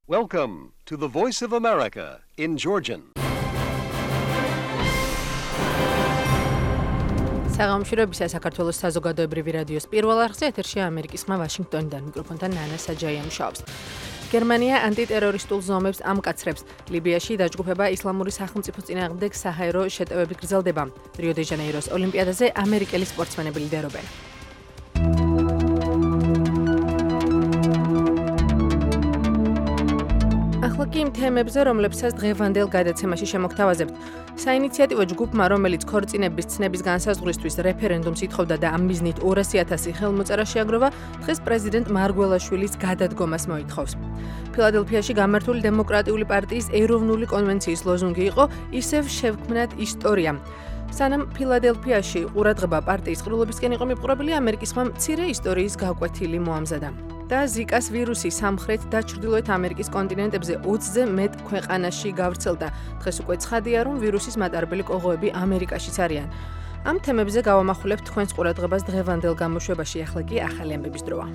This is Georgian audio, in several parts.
Welcome to the Voice of America in Georgian. საღამოშრობისა საქართველოს საზოგადოებრივი რადიოს პირველ არხზე ეთერშია ამერიკის ხმა ვაშინგტონიდან მიკროფონთან ნანა საჯაია მუშაობს. გერმანია ანტიტერორისტულ ზომებს ამკაცრებს. ლიბიაში დაჯგუფება ისლამური სახელმწიფოს წინააღმდეგ საჰაერო შეტევები გრძელდება. რიო-დე-ჟანეიროს ოლიმპიადაზე ამერიკელი სპორტსმენები ლიდერობენ. ახლა კი იმ თემებზე, რომლებსაც დღევანდელ გადაცემაში შემოგთავაზებთ. საინიციატივო ჯგუფმა, რომელიც ქორწინების ცნების განსაზღვრისთვის რეფერენდუმს ითხოვდა და ამ მიზნით 200,000 ხელმოწერა შეაგროვა, დღეს პრეზიდენტ მარგველაშვილის გადადგომას მოითხოვს. ფილადელფიაში გამართული დემოკრატიული პარტიის ეროვნული კონვენციის ლოზუნგი იყო ისევ შევქმნათ ისტორია. სანამ ფილადელფიაში ყურადღება პარტიის ყრილობისკენ იყო მიპყრობილი, ამერიკის ხმა მცირე ისტორიის გაკვეთილი მოამზადა. და ზიკას ვირუსი სამხრეთ და ჩრდილოეთ ამერიკის კონტინენტებზე 20-ზე მეტ ქვეყანაში გავრცელდა. დღეს უკვე ცხადია, რომ ვირუსის მატარებელი კოღოები ამერიკაშიც არიან. ამ თემებზე გავამახვილებთ თქვენს ყურადღებას დღევანდელ გამოშვებაში, ახლა კი ახალი ამბების დროა.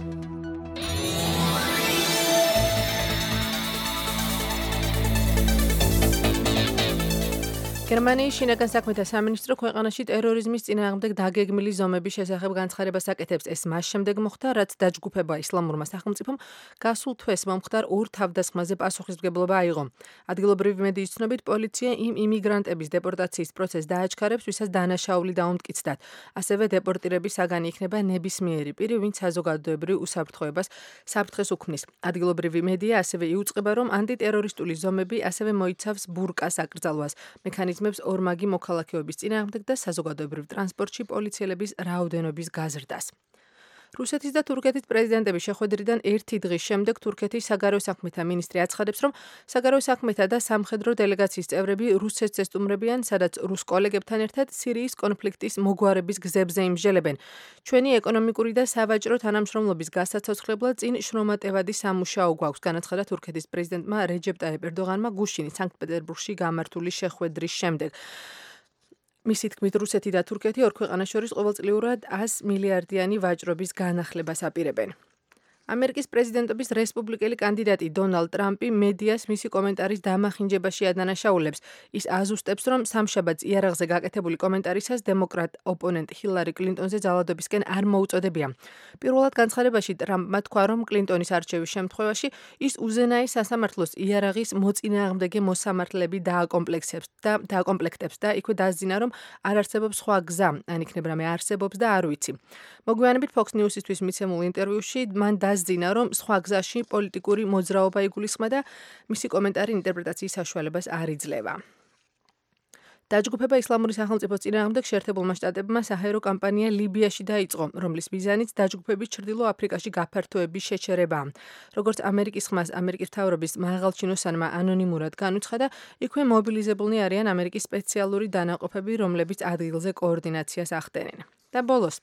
გერმანიის შინაგან საქმეთა სამინისტრო ქვეყანაში ტერორიზმის წინააღმდეგ დაგეგმილი ზომების შესახებ განცხადებას აკეთებს. ეს მას შემდეგ მოხდა, რაც დაჯგუფება ისლამურმა სახელმწიფომ გასულ თვეს მომხდარ ორ თავდასხმაზე პასუხისმგებლობა აიღო. ადგილობრივი მედიის ცნობით, პოლიცია იმ იმიგრანტების დეპორტაციის პროცესს დააჩქარებს, ვისაც დანაშაული დაუმტკიცდათ. ასევე დეპორტირების საგანი იქნება ნებისმიერი პირი, ვინც საზოგადოებრივ უსაფრთხოებას საფრთხეს უქმნის. ადგილობრივი მედია ასევე იუწყება, რომ ანტიტერორისტული ზომები ასევე მოიცავს ბურკას აკრძალვას. მექანიზმებს ორმაგი მოქალაქეობის წინააღმდეგ და საზოგადოებრივ ტრანსპორტში პოლიციელების რაოდენობის გაზრდას. რუსეთის და თურქეთის პრეზიდენტების შეხვედრიდან ერთი დღის შემდეგ თურქეთის საგარეო საქმეთა მინისტრი აცხადებს, რომ საგარეო საქმეთა და სამხედრო დელეგაციის წევრები რუსეთს ესტუმრებიან, სადაც რუს კოლეგებთან ერთად სირიის კონფლიქტის მოგვარების გზებზე იმსჯელებენ. ჩვენი ეკონომიკური და სავაჭრო თანამშრომლობის გასაცოცხლებლად წინ შრომატევადი სამუშაო გვაქვს, განაცხადა თურქეთის პრეზიდენტმა რეჯეპ ტაიპ ერდოღანმა გუშინ სანქტ-პეტერბურგში გამართული შეხვედრის შემდეგ. მისი თქმით, რუსეთი და თურქეთი ორ ქვეყანას შორის ყოველწლიურად 100 მილიარდიანი ვაჭრობის განახლებას აპირებენ. ამერიკის პრეზიდენტობის რესპუბლიკელი კანდიდატი დონალდ ტრამპი მედიას მისი კომენტარის დამახინჯებაში ადანაშაულებს. ის აზუსტებს, რომ სამშაბათს იარაღზე გაკეთებული კომენტარისას დემოკრატ ოპონენტ ჰილარი კლინტონზე ძალადობისკენ არ მოუწოდებია. პირველად განცხადებაში ტრამპმა თქვა, რომ კლინტონის არჩევის შემთხვევაში ის უზენაეს სასამართლოს იარაღის მოწინააღმდეგე მოსამართლეები დააკომპლექტებს და იქვე დასძინა, რომ არ არსებობს სხვა გზა, ან იქნებ რამე არსებობს და არ ვიცი. მოგვიანებით Fox News-ისთვის მიცემულ ინტერვიუში მან დასძინა, რომ სხვა გზაში პოლიტიკური მოძრაობა იგულისხმა და მისი კომენტარი ინტერპრეტაციის საშუალებას არ იძლევა. დაჯგუფება ისლამური სახელმწიფოს წინააღმდეგ შეერთებულმა შტატებმა საჰაერო კამპანია ლიბიაში დაიწყო, რომლის მიზანიც დაჯგუფების ჩრდილო აფრიკაში გაფართოების შეჩერებაა. როგორც ამერიკის ხმას ამერიკის მთავრობის მაღალჩინოსანმა ანონიმურად განუცხადა, იქვე მობილიზებულნი არიან ამერიკის სპეციალური დანაყოფები, რომლებიც ადგილზე კოორდინაციას ახდენენ. და ბოლოს,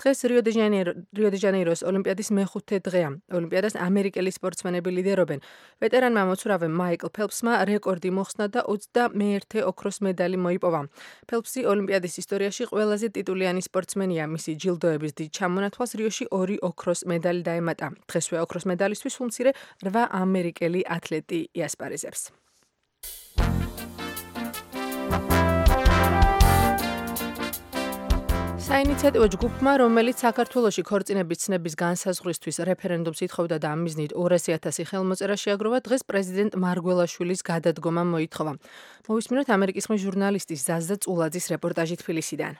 დღეს რიო-დე-ჟანეიროს ოლიმპიადის მეხუთე დღეა. ოლიმპიადას ამერიკელი სპორტსმენები ლიდერობენ. ვეტერანმა მოცურავემ მაიკლ ფელპსმა რეკორდი მოხსნა და 21 ოქროს медаლი მოიპოვა. ფელპსი ოლიმპიადის ისტორიაში ყველაზე ტიტულიანი სპორტსმენია. მისი ჯილდოების დიდ ჩამონათვალს რიოში 2 ოქროს медаლი დაემატა. დღესვე ოქროს медаლისთვის სულ მცირე 8 ამერიკელი ათლეტი იასპარეზებს. საინიციატივო ჯგუფმა, რომელიც საქართველოში ქორწინების ცნების განსაზღვრისთვის რეფერენდუმს ითხოვდა და ამ მიზნით 200,000 ხელმოწერა შეაგროვა, დღეს პრეზიდენტ მარგველაშვილის გადადგომა მოითხოვა. მოვისმინოთ ამერიკის ხმის ჟურნალისტის ზაზა წულაძის რეპორტაჟი თბილისიდან.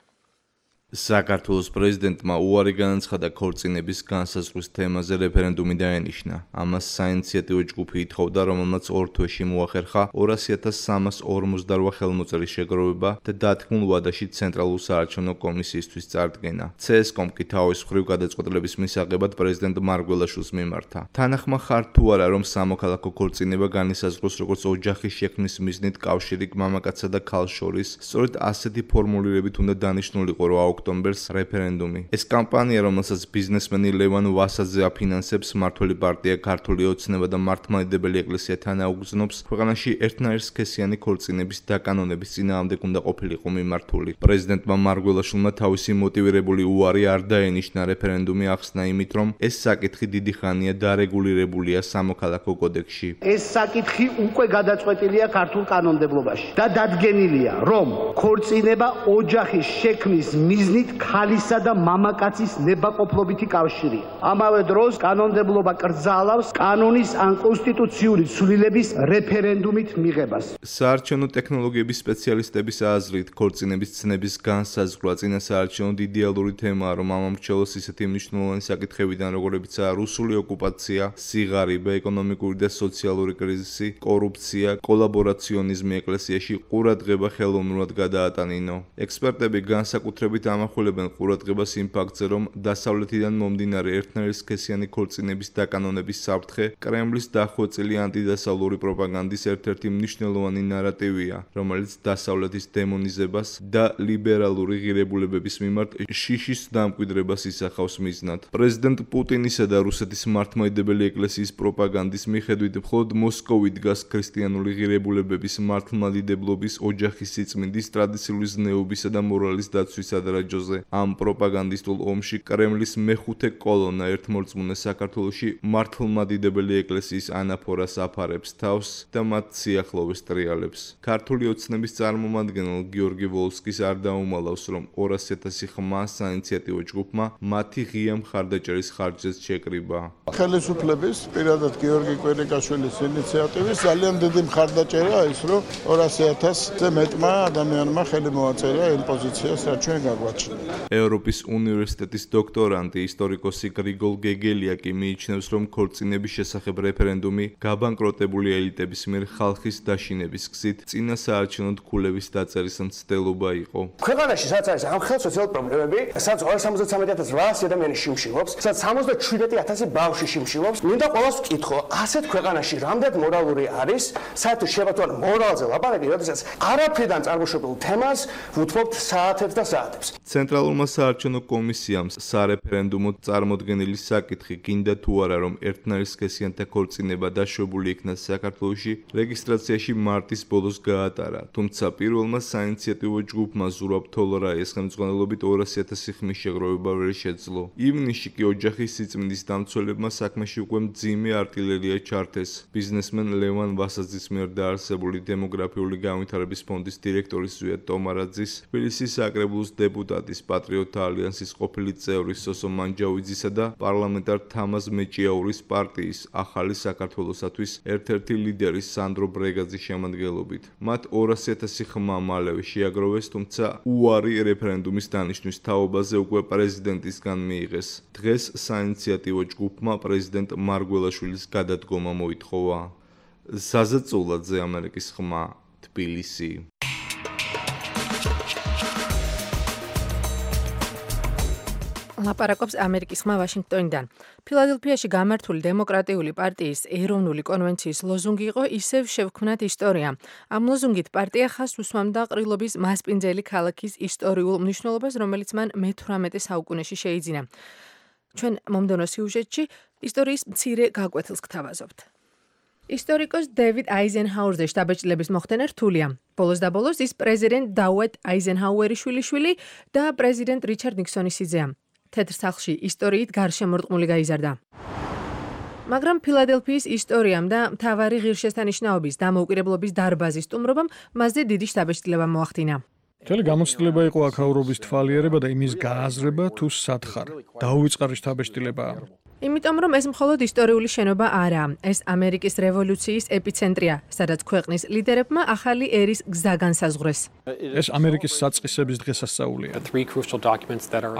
საქართველოს პრეზიდენტმა უარი განაცხადა ქორწინების განსაზღვრის თემაზე რეფერენდუმი დაენიშნა. ამას საინიციატივო ჯგუფი ითხოვდა, რომელმაც ორ თვეში მოახერხა 200,348 ხელმოწერის შეგროვება და დათქმულ ვადაში ცენტრალურ საარჩევნო კომისიისთვის წარდგენა. CSCOM კი თავის მხრივ გადაწყვეტილების მისაღებად პრეზიდენტ მარგველაშვილს მიმართა. თანახმა ხარ თუ არა, რომ სამოქალაქო ქორწინება განისაზღვროს როგორც ოჯახის შექმნის მიზნით კავშირი მამაკაცსა და ქალს შორის, სწორედ ასეთი ფორმულირებით უნდა დანიშნულიყო, რომ ოქტომბერს რეფერენდუმი. ეს კამპანია, რომელსაც ბიზნესმენი ლევან ვასაძე აფინანსებს, მმართველი პარტია ქართული ოცნება და მართლმადიდებელი ეკლესია თანაუგზნობს, ქვეყანაში ერთნაირი სქესიანი ქორწინების დაკანონების წინააღმდეგ უნდა ყოფილიყო მიმართული. პრეზიდენტმა მარგველაშვილმა თავისი მოტივირებული უარი არ დაენიშნა რეფერენდუმი ახსნა იმით, რომ ეს საკითხი დიდი ხანია დარეგულირებულია სამოქალაქო კოდექსში. ეს საკითხი უკვე გადაწყვეტილია ქართულ კანონმდებლობაში და დადგენილია, რომ ქორწინება ოჯახის შექმნის მიზნით ქალისა და მამაკაცის ნებაყოფლობითი კავშირია. ამავე დროს კანონმდებლობა კრძალავს კანონის ან კონსტიტუციური ცვლილების რეფერენდუმით მიღებას. საარჩევნო ტექნოლოგიების სპეციალისტების აზრით, ქორწინების ცნების განსაზღვრა წინასაარჩევნო იდეალური თემაა, რომ ამომრჩევლოს ისეთი მნიშვნელოვანი საკითხებიდან, როგორებიცაა რუსული ოკუპაცია, სიღარიბე, ეკონომიკური და სოციალური კრიზისი, კორუფცია, კოლაბორაციონიზმი ეკლესიაში ყურადღება ხელოვნურად გადაატანინო. ექსპერტები განსაკუთრებით ამახვილებენ ყურადღებას იმ ფაქტზე, რომ დასავლეთიდან მომდინარე ერთნაირი სქესიანი ქორწინების დაკანონების საფრთხე კრემლის დახვეწილი ანტიდასავლური პროპაგანდის ერთ-ერთი მნიშვნელოვანი ნარატივია, რომელიც დასავლეთის დემონიზებას და ლიბერალური ღირებულებების მიმართ შიშის დამკვიდრებას ისახავს მიზნად. პრეზიდენტ პუტინისა და რუსეთის მართლმადიდებელი ეკლესიის პროპაგანდის მიხედვით, მხოლოდ მოსკოვი დგას ქრისტიანული ღირებულებების, მართლმადიდებლობის, ოჯახის სიწმინდის, ტრადიციული ზნეობისა და მორალის დაცვის სადარაჯოზე. ამ პროპაგანდისტულ ომში კრემლის მეხუთე კოლონა ერთმორწმუნე საქართველოში მართლმადიდებელი ეკლესიის ანაფორას აფარებს თავს და მათ სიახლოვეს ტრიალებს. ქართული ოცნების წარმომადგენელ გიორგი ვოლსკის არ დაუმალავს, რომ 200,000 ხმა საინიციატივო ჯგუფმა მათი ღია მხარდაჭერის ხარჯზეც შეკრიბა. ხელისუფლების, პირადად გიორგი კვირიკაშვილის ინიციატივის ძალიან დიდი მხარდაჭერაა ის, რომ 200,000-ზე მეტმა ადამიანმა ხელი მოაწერა იმ პოზიციას, რაც ჩვენ გაგვაჩნია. ევროპის უნივერსიტეტის დოქტორანტი, ისტორიკოსი გრიგოლ გეგელია კი მიიჩნევს, რომ ქორწინების შესახებ რეფერენდუმი გაბანკროტებული elitების მიერ ხალხის დაშინების გზით წინასაარჩევნო ქულების დაწერის მცდელობა იყო. ქვეყანაში სადაც არის ამხელა სოციალური პრობლემები, სადაც 273,800 ადამიანი შიმშილობს, სადაც 77,000 ბავშვი შიმშილობს, მინდა ყველას ვკითხო, ასეთ ქვეყანაში რამდენად მორალური არის, საერთოდ შევა თუ არა მორალზე ლაპარაკი, როდესაც არაფრიდან წარმოშობილ თემას ვუთმობთ საათებს და საათებს. ცენტრალურმა საარჩევნო კომისიამ სარეფერენდუმო წარმოდგენილი საკითხი გინდა თუ არა, რომ ერთნაირი სქესიანთა ქორწინება დაშვებული იქნა საქართველოში, რეგისტრაციაში მარტის ბოლოს გაატარა, თუმცა პირველმა საინიციატივო ჯგუფმა ზურაბ თოლორაიას ხელმძღვანელობით 200,000 ხმის შეგროვება ვერ შეძლო. ივნისში კი ოჯახის სიწმინდის დამცველებმა საქმეში უკვე მძიმე არტილერია ჩართეს. ბიზნესმენ ლევან ვასაძის მიერ დაარსებული დემოგრაფიული განვითარების ფონდის დირექტორის ზვიად ტომარაძის, თბილისის საკრებულოს დეპუტატის, პატრიოტთა ალიანსის ყოფილი წევრი სოსო მანჯავიძისა და პარლამენტარ თამაზ მეჭიაურის პარტიის ახალი საქართველოსათვის ერთ-ერთი ლიდერის სანდრო ბრეგაძის შემადგენლობით. მათ 200,000 ხმა მალევე შეაგროვეს, თუმცა უარი რეფერენდუმის დანიშნვის თაობაზე უკვე პრეზიდენტისგან მიიღეს. დღეს საინიციატივო ჯგუფმა პრეზიდენტ მარგველაშვილის გადადგომა მოითხოვა. საზეწოლაძე, ამერიკის ხმა, თბილისი. ლაპარაკობს ამერიკის ხმა ვაშინგტონიდან. ფილადელფიაში გამართული დემოკრატიული პარტიის ეროვნული კონვენციის ლოზუნგი იყო ისევ შევქმნათ ისტორია. ამ ლოზუნგით პარტია ხაზს უსვამდა ყრილობის მასპინძელი ქალაქის ისტორიულ მნიშვნელობას, რომელიც მან მე-18 საუკუნეში შეიძინა. ჩვენ მომდევნო სიუჟეტში ისტორიის მცირე გაკვეთილს გთავაზობთ. ისტორიკოს დევიდ აიზენჰაურზე შთაბეჭდილების მოხდენა რთულია. ბოლოს და ბოლოს ის პრეზიდენტ დაუეტ აიზენჰაუერის შვილიშვილი და პრეზიდენტ რიჩარდ ნიქსონის სიძეა. თეთრ სახლში ისტორიით გარშემორტყმული გაიზარდა. მაგრამ ფილადელფიის ისტორიამ და მთავარი ღირსშესანიშნაობის დამოუკიდებლობის დარბაზის სტუმრობამ მასზე დიდი შთაბეჭდილება მოახდინა. მთელი გამოცდილება იყო აქაურობის თვალიერება და იმის გააზრება თუ სათხარ. დაუვიწყარი შთაბეჭდილებაა. იმიტომ რომ ეს მხოლოდ ისტორიული შენობა არაა, ეს ამერიკის რევოლუციის ეპიცენტრია, სადაც ქვეყნის ლიდერებმა ახალი ერის გზა განსაზღვრეს. ეს ამერიკის საწყისების დღესასწაულია.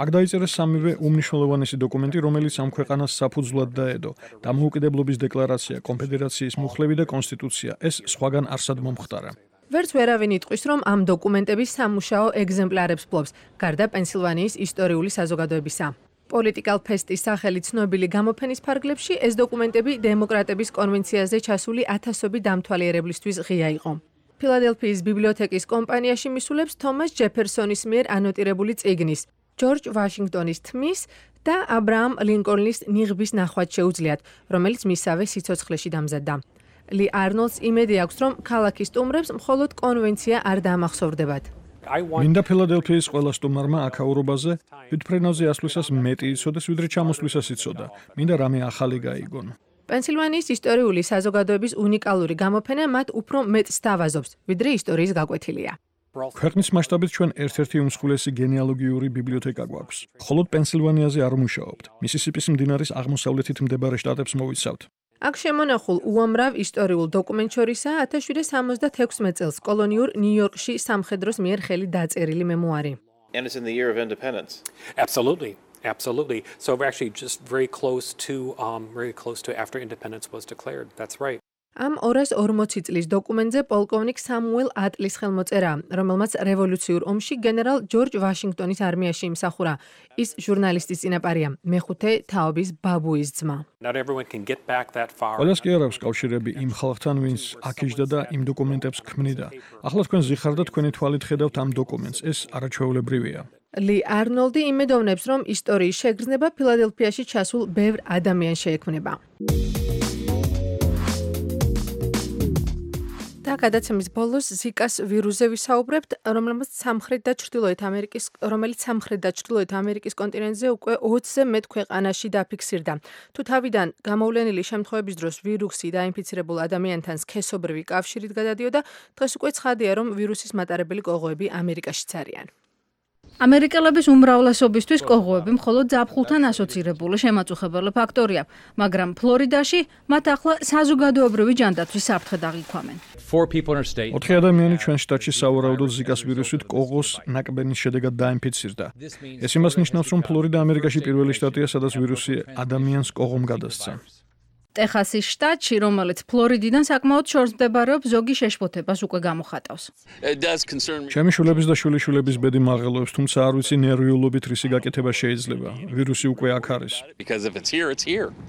აქ დაიწერეს სამივე უმნიშვნელოვანესი დოკუმენტი, რომელიც ამ ქვეყანას საფუძვლად დაედო: დამოუკიდებლობის დეკლარაცია, კონფედერაციის მუხლები და კონსტიტუცია. ეს სხვაგან არსად მომხდარა. ვერც ვერავინ იტყვის, რომ ამ დოკუმენტების სამუშაო ეგზემპლარებს ფლობს, გარდა პენსილვანიის ისტორიული საზოგადოებისა. პოლიტიკალ ფესტის სახელით ცნობილი გამოფენის ფარგლებში ეს დოკუმენტები დემოკრატების კონვენციაზე ჩასული ათასობით დამთვალიერებლისთვის ღია იყო. ფილადელფიის ბიბლიოთეკის კომპანიაში მისულებს თომას ჯეფერსონის მიერ ანოტირებული წიგნის ჯორჯ ვაშინგტონის თმის და აბრაამ ლინკოლნის ნიღბის ნახვაც შეუძლიათ, რომელიც მისავე სიცოცხლეში დამზადდა. ლი არნოლდს იმედი აქვს, რომ ქალაქის სტუმრებს მხოლოდ კონვენცია არ დაამახსოვრდებათ. მინდა ფილადელფიის ყველა სტუმარმა აქაურობაზე თვითმფრენავზე ასვლისას მეტი იცოდეს, ვიდრე ჩამოსვლისას იცოდა. მინდა რამე ახალი გაიგონ. პენსილვანიის ისტორიული საზოგადოების უნიკალური გამოფენა მათ უფრო მეტ სთავაზობს, ვიდრე ისტორიის გაკვეთილია. ქვეყნის მასშტაბით ჩვენ ერთ-ერთი უმსხვილესი გენეალოგიური ბიბლიოთეკა გვაქვს. მხოლოდ პენსილვანიაზე არ მუშაობთ. მისისიპის მდინარის აღმოსავლეთით მდებარე შტატებს მოვიცავთ. აქ შემონახულ უამრავ ისტორიულ დოკუმენტ შორისაა 1776 წელს კოლონიურ ნიუ-იორკში სამხედროს მიერ ხელი დაწერილი მემუარი. And it's in the year of independence. Absolutely. So we're actually just very close to after independence was declared. That's right. ამ 240 წლის დოკუმენტზე პოლკოვნიკ სამუელ ატლის ხელმოწერა, რომელმაც რევოლუციურ ომში გენერალ ჯორჯ ვაშინგტონის არმიაში იმსახურა. ის ჟურნალისტის წინაპარია, მეხუთე თაობის ბაბუის ძმა. Not everyone can get back that far. ყველას კი არ აქვს კავშირები იმ ხალხთან, ვინც აქიჯდა და იმ დოკუმენტებს ქმნიდა. ახლა თქვენ ზიხარ და თქვენი თვალით ხედავთ ამ დოკუმენტს. ეს არაჩვეულებრივია. ლი არნოლდი იმედოვნებს, რომ ისტორიის შეგრძნება ფილადელფიაში ჩასულ ბევრ ადამიანს შეექმნება. და გადაცემის ბოლოს ზიკას ვირუსზე ვისაუბრებთ, რომელიც სამხრეთ და ჩრდილოეთ ამერიკის კონტინენტზე უკვე 20-ზე მეტ ქვეყანაში დაფიქსირდა. თუ თავიდან გამოვლენილი შემთხვევების დროს ვირუსი დაინფიცირებულ ადამიანთან სქესობრივი კავშირით გადადიოდა, დღეს უკვე ცხადია, რომ ვირუსის მატარებელი კოღოები ამერიკაშიც არიან. ამერიკელების უმრავლესობისთვის კოღოები მხოლოდ ზაფხულთან ასოცირებული შემაწუხებელი ფაქტორია, მაგრამ ფლორიდაში მათ ახლა საზოგადოებრივი ჯანდაცვის საფრთხე აღიქვამენ. 4 ადამიანი ჩვენ შტატში სავარაუდოდ ზიკას ვირუსით კოღოს ნაკბენის შედეგად დაინფიცირდა. ეს იმას ნიშნავს, რომ ფლორიდა ამერიკაში პირველი შტატია, სადაც ვირუსი ადამიანს კოღომ გადასცა. ტეხასის შტატში, რომელიც ფლორიდიდან საკმაოდ შორს მდებარეობს, ზოგი შეშფოთებას უკვე გამოხატავს. ჩემი შვილების და შვილიშვილების ბედი მაღელვებს, თუმცა არ ვიცი ნერვიულობით რისი გაკეთება შეიძლება. ვირუსი უკვე აქ არის.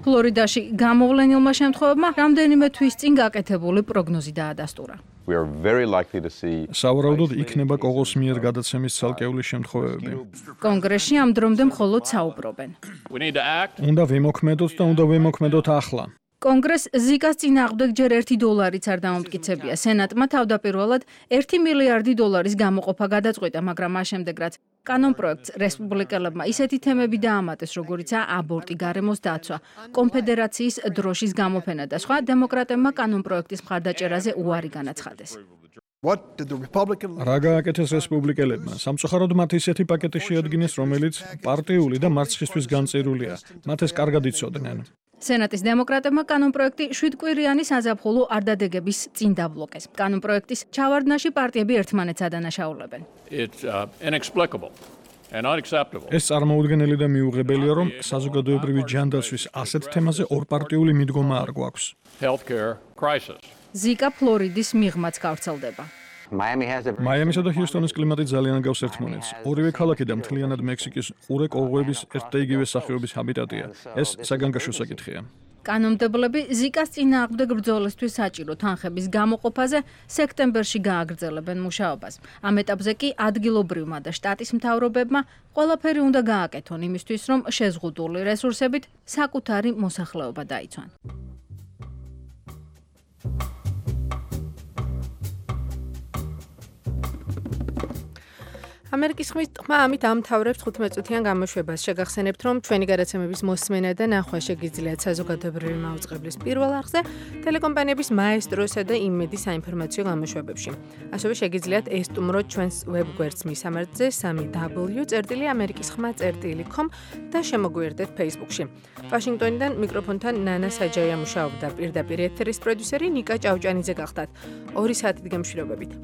ფლორიდაში გამოვლენილმა შემთხვევებმა რამდენიმე თვის წინ გაკეთებული პროგნოზი დაადასტურა. სავარაუდოდ იქნება კოღოს მიერ გადაცემის ცალკეული შემთხვევები. კონგრესში ამ დრომდე მხოლოდ საუბრობენ. უნდა ვიმოქმედოთ და უნდა ვიმოქმედოთ ახლა. კონგრესს ზიკას წინააღმდეგ ჯერ $1 არ დაუმტკიცებია. სენატმა თავდაპირველად $1 მილიარდი გამოყოფა გადაწყვიტა, მაგრამ მას შემდეგ რაც კანონპროექტს რესპუბლიკელებმა ისეთი თემები დაამატეს, როგორიცაა აბორტი, გარემოს დაცვა, კონფედერაციის დროშის გამოფენა და სხვა, დემოკრატებმა კანონპროექტის მხარდაჭერაზე უარი განაცხადეს. რა გააკეთეს რესპუბლიკელებმა? სამწუხაროდ მათ ისეთი პაკეტი შეადგინეს, რომელიც პარტიული და მარცხისთვის განწირულია. მათ ეს კარგად იცოდნენ. სენატის დემოკრატებმა კანონპროექტი 7 კვირიანი საზაფხულო არ დადეგების წინ დაბლოკეს. კანონპროექტის ჩავარდნაში პარტიები ერთმანეთს ადანაშაულებენ. ეს წარმოუდგენელი და მიუღებელია, რომ საზოგადოებრივი ჯანდაცვის ასეთ თემაზე ორპარტიული მიდგომა არ გვაქვს. ზიკა ფლორიდის მიღმაც გავრცელდება. მაიამისა და ჰიუსტონის კლიმატი ძალიან გავს ერთმანეთს. ორივე ქალაქი და მთლიანად მექსიკის ყურე კოღოების ერთ და იგივე სახეობის ჰაბიტატია. ეს საგანგაშო საკითხია. კანონმდებლები ზიკას წინააღმდეგ ბრძოლისთვის საჭირო თანხების გამოყოფაზე სექტემბერში გააგრძელებენ მუშაობას. ამ ეტაპზე კი ადგილობრივმა და შტატის მთავრობებმა ყველაფერი უნდა გააკეთონ იმისთვის, რომ შეზღუდული რესურსებით საკუთარი მოსახლეობა დაიცვან. ამერიკის ხმის თქმა ამით ამთავრებს 15 წუთიან გამოშვებას. შეგახსენებთ, რომ ჩვენი გადაცემების მოსმენა და ნახვა შეგიძლიათ საზოგადოებრივი მაუწყებლის პირველ არხზე, ტელეკომპანიების მაესტროსა და იმედი საინფორმაციო გამოშვებებში. ასევე შეგიძლიათ ესტუმროთ ჩვენს ვებგვერდს მისამართზე 3w.amerikiskhma.com და შემოგვიერთდეთ Facebook-ში. ვაშინგტონიდან მიკროფონთან ნანა საჯაია მუშაობდა. პირდაპირ ეთერის პროდიუსერი ნიკა ჭავჭანიძე გახდათ. 2 საათით გემშვიდობებით.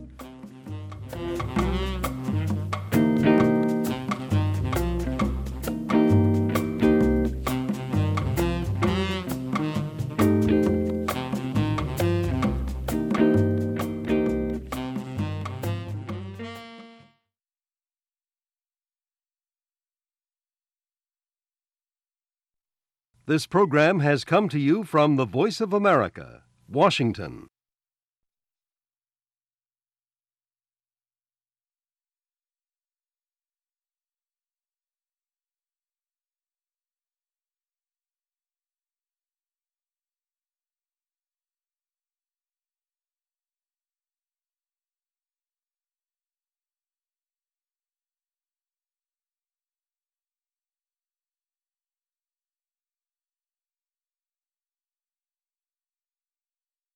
This program has come to you from the Voice of America, Washington.